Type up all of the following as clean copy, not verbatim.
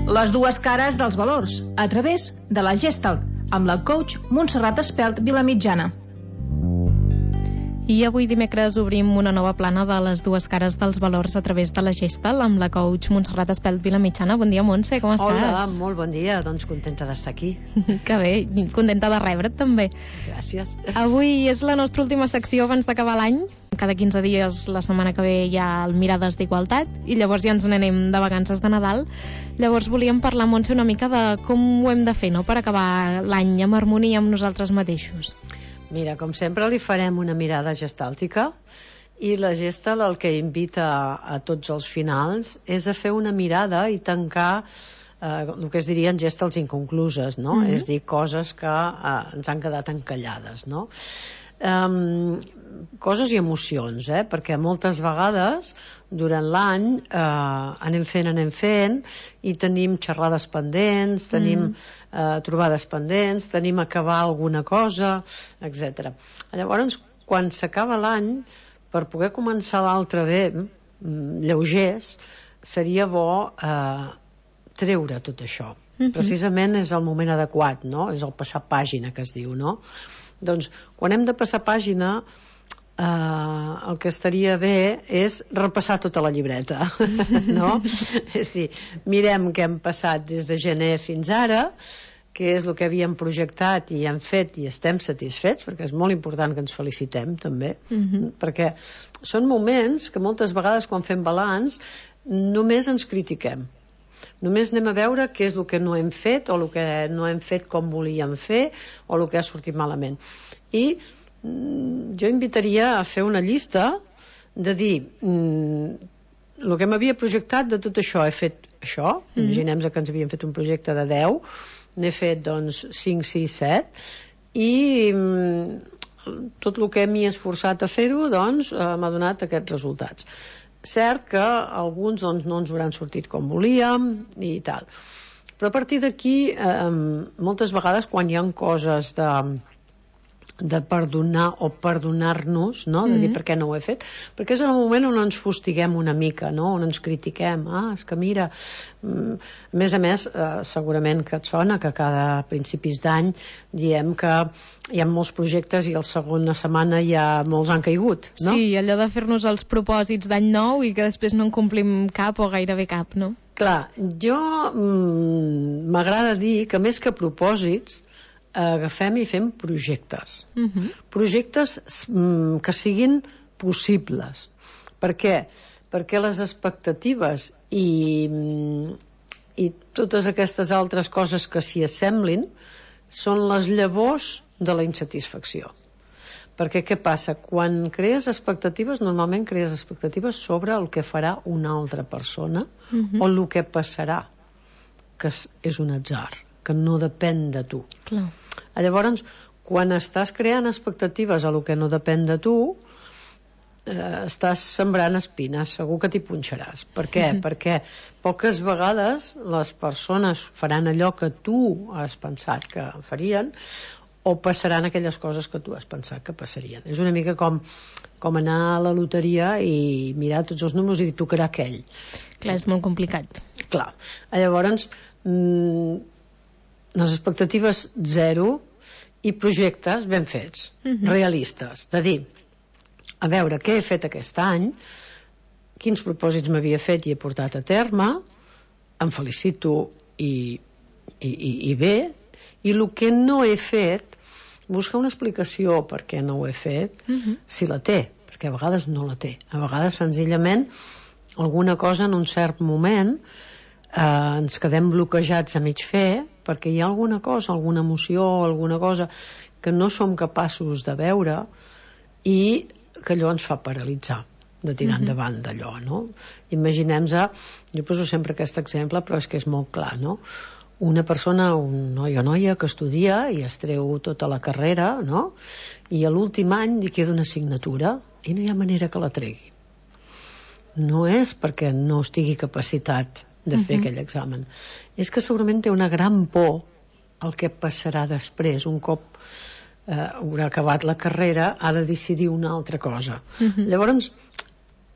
Les dues cares dels valors, a través de la Gestalt, amb la coach Montserrat Espelt Vilamitjana. I avui dimecres obrim una nova plana de les dues cares dels valors a través de la Gestalt amb la coach Montserrat Espelt Vilamitjana. Bon dia, Montse, com estàs? Hola, molt bon dia, doncs contenta d'estar aquí. Que bé, contenta de rebre't també. Gràcies. Avui és la nostra última secció abans d'acabar l'any. Cada 15 dies, la setmana que ve, hi ha el Mirades d'Igualtat i llavors ja ens n'anem de vacances de Nadal. Llavors volíem parlar, Montse, una mica de com ho hem de fer, no?, per acabar l'any amb harmonia amb nosaltres mateixos. Mira, com sempre li farem una mirada gestàltica i la Gestalt el que invita a tots els finals és a fer una mirada i tancar el que es dirien gestalts inconcluses, no? És dir, coses que ens han quedat encallades, no? Coses i emocions, perquè moltes vegades durant l'any anem fent i tenim xerrades pendents, tenim trobades pendents, tenim acabar alguna cosa, etc. Llavors, quan s'acaba l'any, per poder començar l'altre bé, lleugers, seria bo treure tot això. Precisament és el moment adequat, no? És el passar pàgina que es diu, no? Doncs quan hem de passar pàgina el que estaria bé és repassar tota la llibreta, no? És dir, mirem què hem passat des de gener fins ara, què és el que havíem projectat i hem fet i estem satisfets, perquè és molt important que ens felicitem també, perquè són moments que moltes vegades quan fem balanç només ens critiquem, només anem a veure què és el que no hem fet o el que no hem fet com volíem fer o el que ha sortit malament. I jo invitaria a fer una llista de dir el que m'havia projectat de tot això, he fet això, imaginem que ens havíem fet un projecte de 10, n'he fet doncs 5, 6, 7 i tot el que m'hi he esforçat a fer-ho doncs m'ha donat aquests resultats. Cert que alguns doncs, no ens hauran sortit com volíem i tal, però a partir d'aquí moltes vegades quan hi ha coses de perdonar o perdonar-nos, no? De dir per què no ho he fet, perquè és el moment on ens fustiguem una mica, no? On ens critiquem, és que mira, a més segurament que et sona que cada principis d'any diem que hi ha molts projectes i la segona setmana ja molts han caigut, no? Sí, allò de fer-nos els propòsits d'any nou i que després no en complim cap o gairebé cap, no? Clar, jo m'agrada dir que més que propòsits agafem i fem projectes. Projectes que siguin possibles. Per què? Perquè les expectatives i totes aquestes altres coses que s'hi assemblin són les llavors de la insatisfacció. Perquè què passa? Quan crees expectatives, normalment crees expectatives sobre el que farà una altra persona o el que passarà, que és un atzar, que no depèn de tu. Clar. Llavors, quan estàs creant expectatives a el que no depèn de tu, estàs sembrant espines, segur que t'hi punxaràs. Per què? Perquè poques vegades les persones faran allò que tu has pensat que farien o passaran aquelles coses que tu has pensat que passarien. És una mica com anar a la loteria i mirar tots els números i dir tocarà aquell. Clar, és molt complicat. Clar. Llavors, les expectatives 0 i projectes ben fets, realistes, de dir, a veure què he fet aquest any, quins propòsits m'havia fet i he portat a terme, em felicito i bé, i el que no he fet, buscar una explicació per què no ho he fet, si la té, perquè a vegades no la té. A vegades, senzillament, alguna cosa en un cert moment ens quedem bloquejats a mig fer perquè hi ha alguna cosa, alguna emoció, alguna cosa que no som capaços de veure i que allò ens fa paralitzar de tirar endavant d'allò, no? Imaginem-se, jo poso sempre aquest exemple però és que és molt clar, no? Una persona, un noi o noia que estudia i es treu tota la carrera, no? I a l'últim any li queda una assignatura i no hi ha manera que la tregui. No és perquè no estigui capacitat de fer aquell examen, és que segurament té una gran por el que passarà després. Un cop haurà acabat la carrera ha de decidir una altra cosa. Llavors,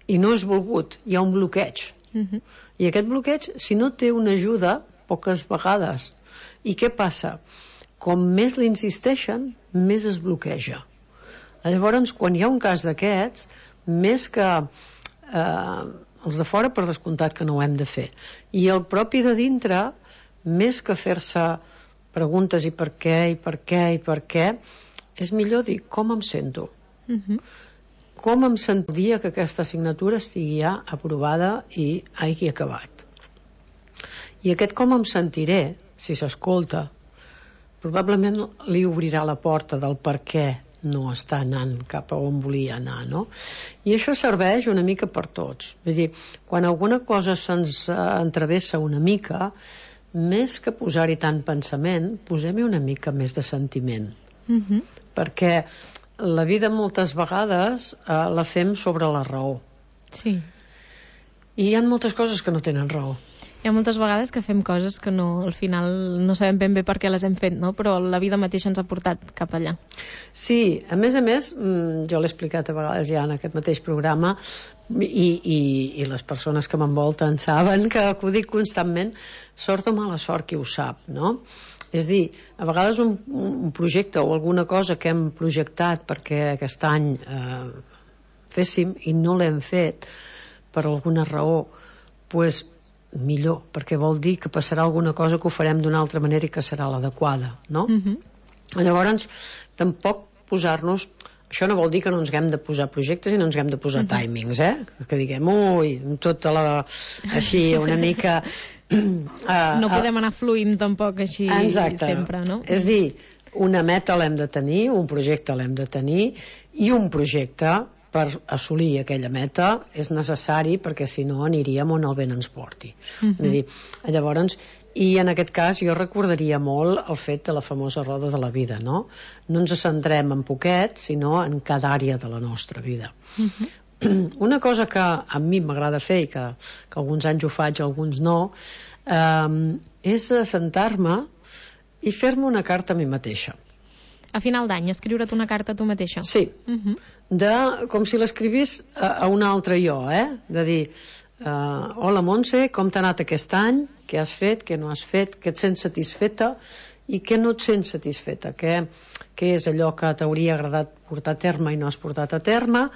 i no és volgut, hi ha un bloqueig, i aquest bloqueig, si no té una ajuda, poques vegades. I què passa? Com més l'insisteixen, més es bloqueja. Llavors, quan hi ha un cas d'aquests, més que els de fora, per descomptat que no ho hem de fer. I el propi de dintre, més que fer-se preguntes i per què, és millor dir com em sento. Com em sentiria que aquesta assignatura estigui ja aprovada i hagi acabat. I aquest com em sentiré, si s'escolta, probablement li obrirà la porta del per què no està anant cap a on volia anar, no? I això serveix una mica per tots. Vull dir, quan alguna cosa se'ns entravessa una mica, més que posar-hi tant pensament, posem-hi una mica més de sentiment. Perquè la vida moltes vegades la fem sobre la raó. Sí. I hi ha moltes coses que no tenen raó. Hi ha moltes vegades que fem coses que no, al final no sabem ben bé per què les hem fet, no? Però la vida mateixa ens ha portat cap allà. Sí, a més, jo l'he explicat a vegades ja en aquest mateix programa i les persones que m'envolten saben que ho dic constantment, sort o mala sort qui ho sap, no? És dir, a vegades un projecte o alguna cosa que hem projectat perquè aquest any féssim i no l'hem fet per alguna raó, doncs millor, perquè vol dir que passarà alguna cosa que ho farem d'una altra manera i que serà l'adequada, no? Llavors, tampoc posar-nos... Això no vol dir que no ens haguem de posar projectes i no ens haguem de posar timings, que diguem, tota la... així, una mica... no podem anar fluint tampoc així sempre, no? És dir, una meta l'hem de tenir, un projecte l'hem de tenir, i un projecte per assolir aquella meta és necessari, perquè si no aniríem on el vent ens porti. Vull dir, llavors, i en aquest cas jo recordaria molt el fet de la famosa roda de la vida, no? No ens centrem en poquet, sinó en cada àrea de la nostra vida. Una cosa que a mi m'agrada fer i que alguns anys ho faig, alguns no, és sentar-me i fer-me una carta a mi mateixa. A final d'any, escriure't una carta a tu mateixa? Sí, com si l'escrivís a un altre jo, de dir, hola Montse, com t'ha anat aquest any, què has fet, què no has fet, què et sents satisfeta i què no et sents satisfeta, què és allò que t'hauria agradat portar a terme i no has portat a terme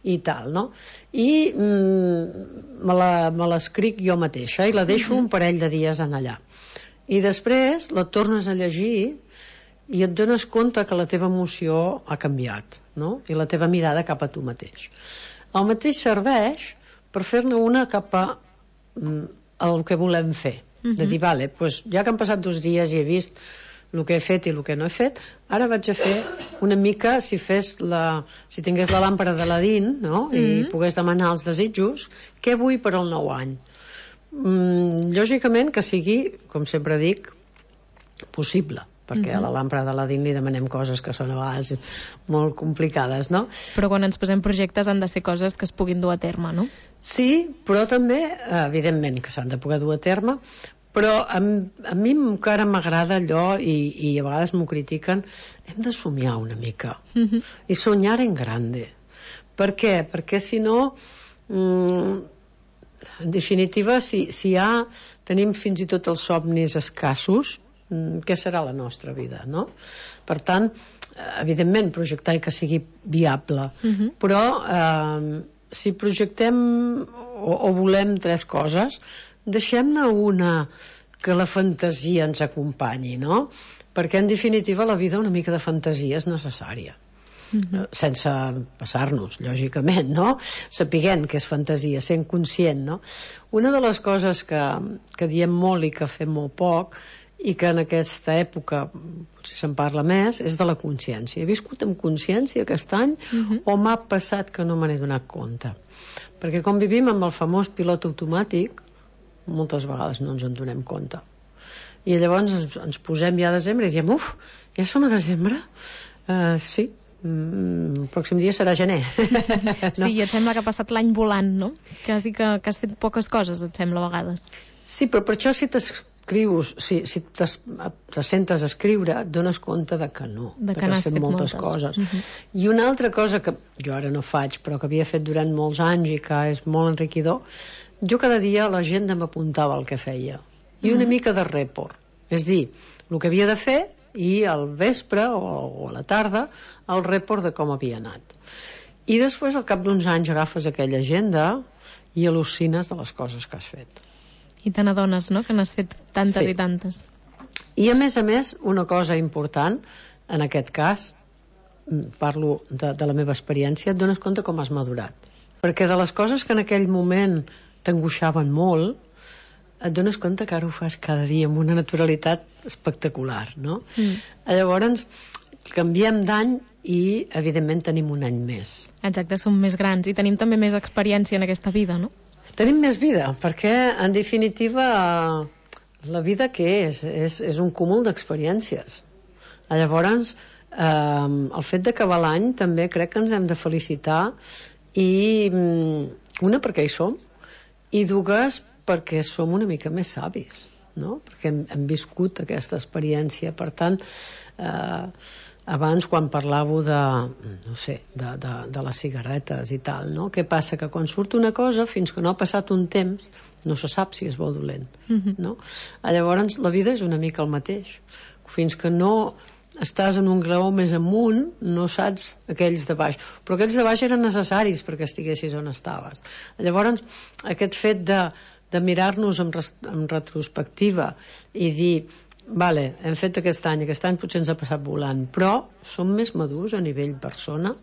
i tal, no? I me l'escric jo mateixa i la deixo un parell de dies en allà. I després la tornes a llegir i et dones compte que la teva emoció ha canviat, no? I la teva mirada cap a tu mateix. El mateix serveix per fer-ne una cap a el que volem fer. De dir, vale, doncs ja que han passat 2 dies i he vist el que he fet i el que no he fet, ara vaig a fer una mica, si tingués la làmpara d'Aladín, no? I pogués demanar els desitjos, què vull per al nou any? Lògicament que sigui, com sempre dic, possible, perquè a la làmpara d'Aladín li demanem coses que són a vegades molt complicades, no? Però quan ens posem projectes han de ser coses que es puguin dur a terme, no? Sí, però també, evidentment, que s'han de poder dur a terme, però a mi encara m'agrada allò, i a vegades m'ho critiquen, hem de somiar una mica, i soñar en grande. Per què? Perquè si no, en definitiva, si ja tenim fins i tot els somnis escassos, què serà la nostra vida, no? Per tant, evidentment, projectar i que sigui viable, però si projectem o volem 3 coses, deixem-ne una que la fantasia ens acompanyi, no? Perquè en definitiva la vida una mica de fantasia és necessària, sense passar-nos, lògicament, no? Sapiguent que és fantasia, sent conscient, no? Una de les coses que diem molt i que fem molt poc i que en aquesta època potser se'n parla més, és de la consciència. He viscut amb consciència aquest any o m'ha passat que no me n'he donat compte? Perquè com vivim amb el famós pilot automàtic, moltes vegades no ens en donem compte. I llavors ens posem ja a desembre i diem, ja som a desembre? Sí, el pròxim dia serà gener. Sí, i et sembla que ha passat l'any volant, no? Quasi que has fet poques coses, et sembla, a vegades. Sí, però per això si t'escrius, si te sentes a escriure, et dones compte de que no, de que has fet moltes coses. I una altra cosa que jo ara no faig, però que havia fet durant molts anys i que és molt enriquidor, jo cada dia a l'agenda m'apuntava el que feia. i una mica de report. És dir, el que havia de fer i al vespre o a la tarda el report de com havia anat. I després, al cap d'uns anys, agafes aquella agenda i al·lucines de les coses que has fet. I te n'adones, no?, que n'has fet tantes i tantes. I a més, una cosa important, en aquest cas, parlo de la meva experiència, et dones compte com has madurat. Perquè de les coses que en aquell moment t'angoixaven molt, et dones compte que ara ho fas cada dia amb una naturalitat espectacular, no? Llavors, canviem d'any i, evidentment, tenim un any més. Exacte, som més grans i tenim també més experiència en aquesta vida, no? Tenim més vida, perquè, en definitiva, la vida què és? És un cúmul d'experiències. Llavors, el fet d'acabar l'any també crec que ens hem de felicitar i una perquè hi som i dues perquè som una mica més savis, no? Perquè hem viscut aquesta experiència. Per tant, abans quan parlàveu de les cigarretes i tal, no? Què passa? Que quan surt una cosa, fins que no ha passat un temps, no se sap si és bo o dolent, no? Llavors la vida és una mica el mateix. Fins que no estàs en un graó més amunt, no saps aquells de baix. Però aquells de baix eren necessaris perquè estiguessis on estaves. Llavors, aquest fet de mirar-nos en retrospectiva i dir, vale, hem fet aquest any potser ens ha passat volant, però som més madurs a nivell persona,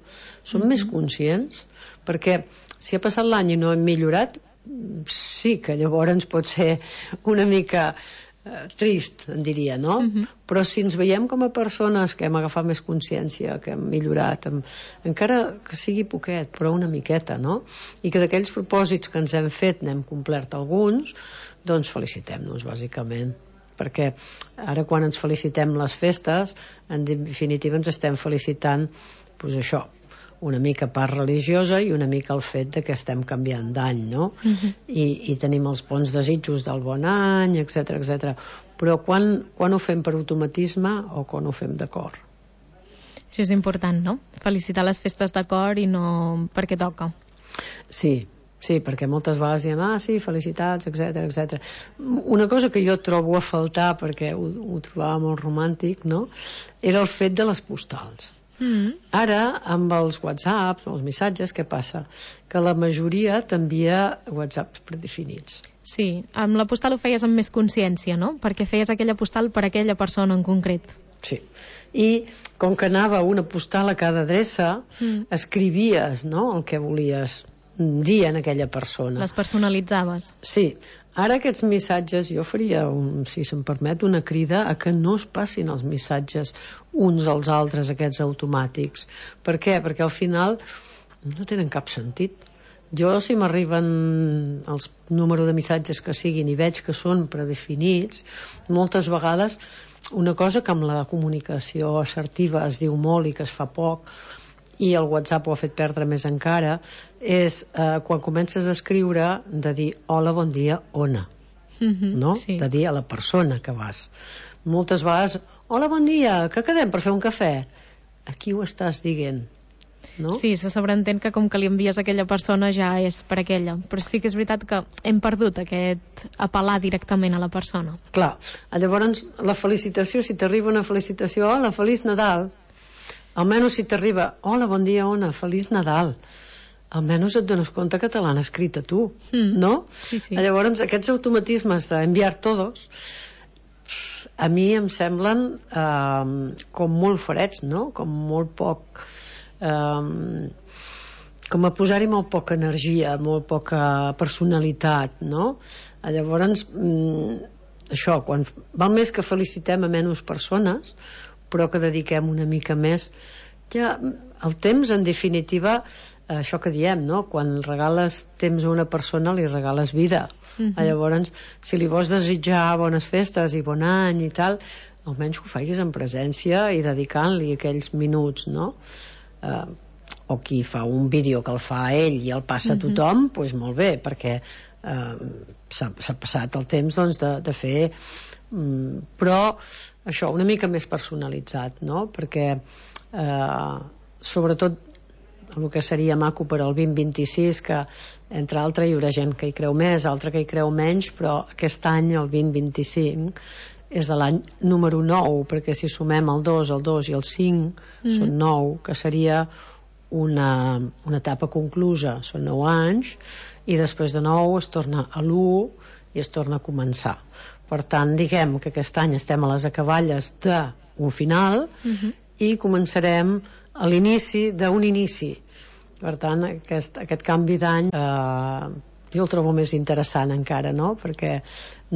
som més conscients, perquè si ha passat l'any i no hem millorat, sí que llavors pot ser una mica trist, en diria, no? Però si ens veiem com a persones que hem agafat més consciència, que hem millorat, encara que sigui poquet, però una miqueta, no? I que d'aquells propòsits que ens hem fet n'hem complert alguns, doncs felicitem-nos, bàsicament. Perquè ara quan ens felicitem les festes, en definitiva ens estem felicitant, doncs això, una mica part religiosa i una mica el fet de que estem canviant d'any, no? I tenim els bons desitjos del bon any, etc etc. Però quan ho fem per automatisme o quan ho fem d'acord? Això és important, no? Felicitar les festes d'acord i no perquè toca. Sí, perquè moltes vegades diem, sí, felicitats, etc etc. Una cosa que jo trobo a faltar, perquè ho trobava molt romàntic, no?, era el fet de les postals. Ara, amb els whatsapps, els missatges, què passa? Que la majoria t'envia whatsapps predefinits. Sí, amb la postal ho feies amb més consciència, no? Perquè feies aquella postal per a aquella persona en concret. Sí, i com que anava una postal a cada adreça, escrivies, no?, el que volies dir en aquella persona. Les personalitzaves. Sí. Ara aquests missatges, jo faria, si se'm permet, una crida a que no es passin els missatges uns als altres, aquests automàtics. Per què? Perquè al final no tenen cap sentit. Jo, si m'arriben els números de missatges que siguin i veig que són predefinits, moltes vegades una cosa que amb la comunicació assertiva es diu molt i que es fa poc, i el WhatsApp ho ha fet perdre més encara, és quan comences a escriure de dir hola, bon dia, ona, no? Sí. De dir a la persona que vas. Moltes vegades, hola, bon dia, que quedem per fer un cafè? A qui ho estàs dient? No? Sí, se sobreentén que com que li envies a aquella persona ja és per aquella, però sí que és veritat que hem perdut aquest apel·lar directament a la persona. Clar, llavors la felicitació, si t'arriba una felicitació, hola, feliç Nadal, almenys si t'arriba, hola, bon dia, ona, feliç Nadal, almenys et dones compte que te l'han escrit a tu, no? Sí, sí. Llavors aquests automatismes d'enviar todos a mi em semblen com molt freds, no? Com molt poc com a posar-hi molt poca energia, molt poca personalitat, no? Llavors això, quan val més que felicitem a menys persones, però que dediquem una mica més, ja el temps, en definitiva, això que diem, no? Quan regales temps a una persona li regales vida. Llavors, si li vols desitjar bones festes i bon any i tal, almenys que ho facis en presència i dedicant-li aquells minuts, no? O qui fa un vídeo que el fa ell i el passa a tothom, doncs molt bé, perquè s'ha passat el temps, doncs, de fer, però això, una mica més personalitzat, no? Perquè sobretot el que seria maco per al 2026, que entre altres hi haurà gent que hi creu més, altra que hi creu menys, però aquest any, el 2025, és de l'any número 9, perquè si sumem el 2 i el 5, són 9, que seria una etapa conclusa, són 9 anys, i després de 9 es torna a l'1 i es torna a començar. Per tant, diguem que aquest any estem a les acaballes d'un final i començarem a l'inici d'un inici. Per tant, aquest canvi d'any jo el trobo més interessant encara, no? Perquè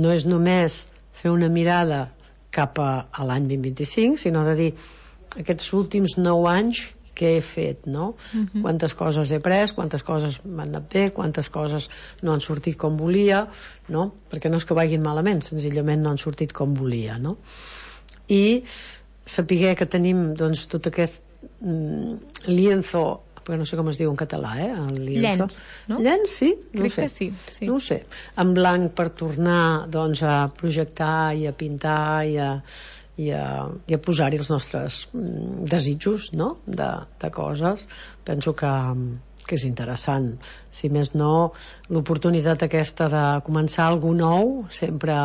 no és només fer una mirada cap a l'any 2025, sinó de dir aquests últims 9 anys què he fet, no? Quantes coses he pres, quantes coses m'han anat bé, quantes coses no han sortit com volia, no? Perquè no és que vagin malament, senzillament no han sortit com volia, no? I saber que tenim doncs tot aquest lienzo, perquè no sé com es diu en català, el lienzo. Llenç, no? Llenç, sí? No Crec sé. que sí, sí. No ho sé. En blanc per tornar doncs, a projectar i a pintar i a posar-hi els nostres desitjos, no? de coses. Penso que és interessant. Si més no, l'oportunitat aquesta de començar alguna nou sempre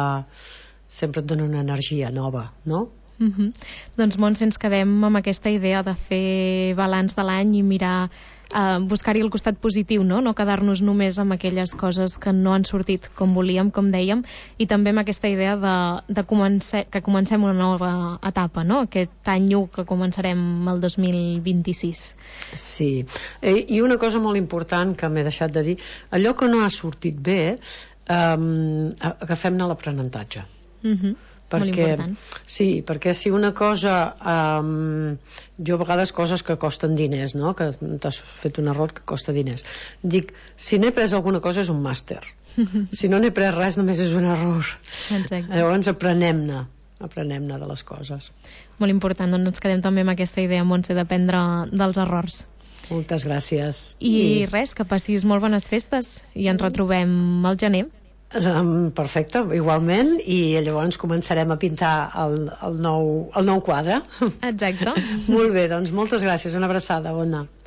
et dona una energia nova, no? Doncs Montse, ens quedem amb aquesta idea de fer balanç de l'any i mirar, buscar-hi el costat positiu, no quedar-nos només amb aquelles coses que no han sortit com volíem, com dèiem, i també amb aquesta idea que comencem una nova etapa, no? Aquest any 1 que començarem el 2026. Sí, i una cosa molt important que m'he deixat de dir, allò que no ha sortit bé, agafem-ne l'aprenentatge. Molt important. Sí, perquè si una cosa jo a vegades coses que costen diners, no? Que t'has fet un error que costa diners, dic, si n'he pres alguna cosa és un màster, si no n'he pres res només és un error. Exacte. Llavors aprenem-ne de les coses. Molt important, doncs ens quedem també amb aquesta idea, Montse, d'aprendre dels errors. Moltes gràcies. I res, que passis molt bones festes i ens retrobem al gener. Perfecte, igualment, i llavors començarem a pintar el nou quadre. Exacte. Molt bé, doncs moltes gràcies, una abraçada, bona.